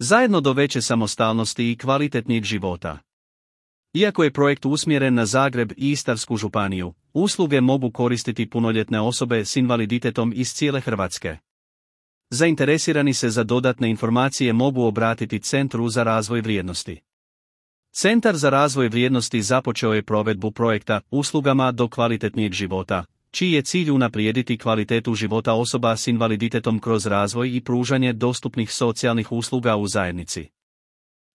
Zajedno do veće samostalnosti i kvalitetnijeg života. Iako je projekt usmjeren na Zagreb i Istarsku županiju, usluge mogu koristiti punoljetne osobe s invaliditetom iz cijele Hrvatske. Zainteresirani se za dodatne informacije mogu obratiti Centru za razvoj vrijednosti. Centar za razvoj vrijednosti započeo je provedbu projekta Uslugama do kvalitetnijeg života, čiji je cilj unaprijediti kvalitetu života osoba s invaliditetom kroz razvoj i pružanje dostupnih socijalnih usluga u zajednici.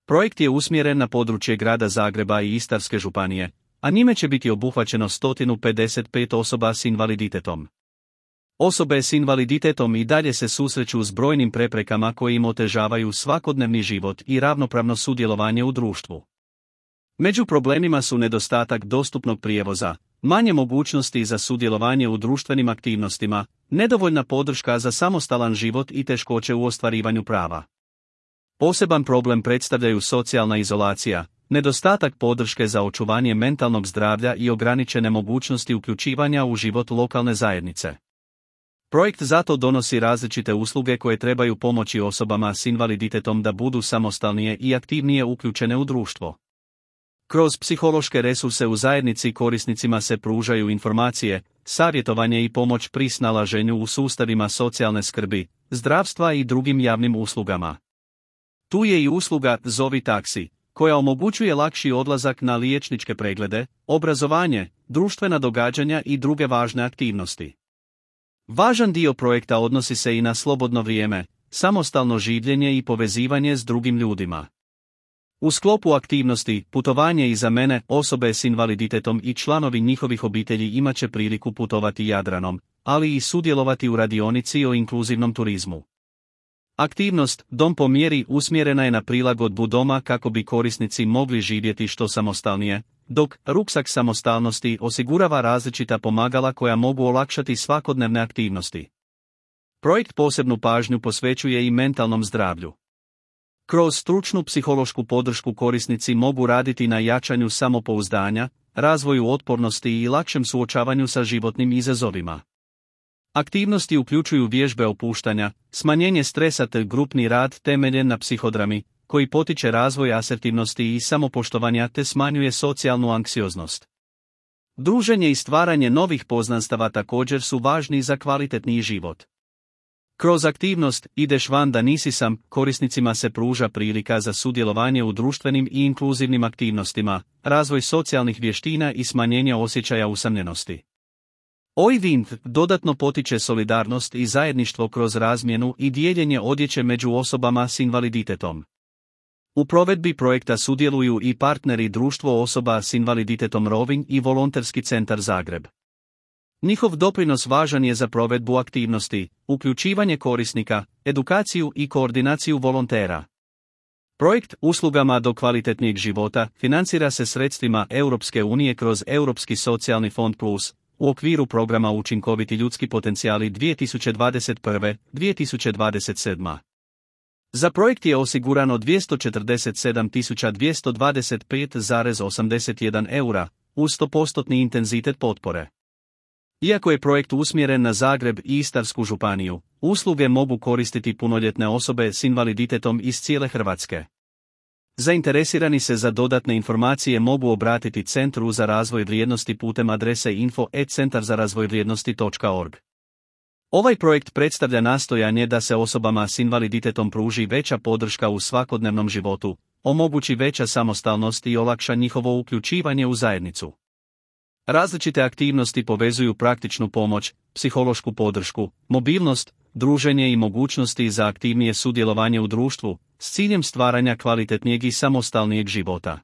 Projekt je usmjeren na područje grada Zagreba i Istarske županije, a njime će biti obuhvaćeno 155 osoba s invaliditetom. Osobe s invaliditetom i dalje se susreću s brojnim preprekama koje im otežavaju svakodnevni život i ravnopravno sudjelovanje u društvu. Među problemima su nedostatak dostupnog prijevoza, manje mogućnosti za sudjelovanje u društvenim aktivnostima, nedovoljna podrška za samostalan život i teškoće u ostvarivanju prava. Poseban problem predstavljaju socijalna izolacija, nedostatak podrške za očuvanje mentalnog zdravlja i ograničene mogućnosti uključivanja u život lokalne zajednice. Projekt zato donosi različite usluge koje trebaju pomoći osobama s invaliditetom da budu samostalnije i aktivnije uključene u društvo. Kroz psihološke resurse u zajednici korisnicima se pružaju informacije, savjetovanje i pomoć pri snalaženju u sustavima socijalne skrbi, zdravstva i drugim javnim uslugama. Tu je i usluga Zovi taksi, koja omogućuje lakši odlazak na liječničke preglede, obrazovanje, društvena događanja i druge važne aktivnosti. Važan dio projekta odnosi se i na slobodno vrijeme, samostalno življenje i povezivanje s drugim ljudima. U sklopu aktivnosti Putovanje iza mene osobe s invaliditetom i članovi njihovih obitelji imat će priliku putovati Jadranom, ali i sudjelovati u radionici o inkluzivnom turizmu. Aktivnost Dom po mjeri usmjerena je na prilagodbu doma kako bi korisnici mogli živjeti što samostalnije, dok Ruksak samostalnosti osigurava različita pomagala koja mogu olakšati svakodnevne aktivnosti. Projekt posebnu pažnju posvećuje i mentalnom zdravlju. Kroz stručnu psihološku podršku korisnici mogu raditi na jačanju samopouzdanja, razvoju otpornosti i lakšem suočavanju sa životnim izazovima. Aktivnosti uključuju vježbe opuštanja, smanjenje stresa te grupni rad temeljen na psihodrami, koji potiče razvoj asertivnosti i samopoštovanja te smanjuje socijalnu anksioznost. Druženje i stvaranje novih poznanstava također su važni za kvalitetniji život. Kroz aktivnost Ideš van da nisi sam, korisnicima se pruža prilika za sudjelovanje u društvenim i inkluzivnim aktivnostima, razvoj socijalnih vještina i smanjenje osjećaja usamljenosti. Oivind dodatno potiče solidarnost i zajedništvo kroz razmjenu i dijeljenje odjeće među osobama s invaliditetom. U provedbi projekta sudjeluju i partneri Društvo osoba s invaliditetom Rovinj i Volonterski centar Zagreb. Njihov doprinos važan je za provedbu aktivnosti, uključivanje korisnika, edukaciju i koordinaciju volontera. Projekt Uslugama do kvalitetnijeg života financira se sredstvima Europske unije kroz Europski socijalni fond plus, u okviru programa Učinkoviti ljudski potencijali 2021-2027. Za projekt je osigurano 247.225,81 eura, uz 100% intenzitet potpore. Iako je projekt usmjeren na Zagreb i Istarsku županiju, usluge mogu koristiti punoljetne osobe s invaliditetom iz cijele Hrvatske. Zainteresirani se za dodatne informacije mogu obratiti Centru za razvoj vrijednosti putem adrese info@centarzarazvojvrijednosti.org. Ovaj projekt predstavlja nastojanje da se osobama s invaliditetom pruži veća podrška u svakodnevnom životu, omogući veća samostalnost i olakša njihovo uključivanje u zajednicu. Različite aktivnosti povezuju praktičnu pomoć, psihološku podršku, mobilnost, druženje i mogućnosti za aktivnije sudjelovanje u društvu, s ciljem stvaranja kvalitetnijeg i samostalnijeg života.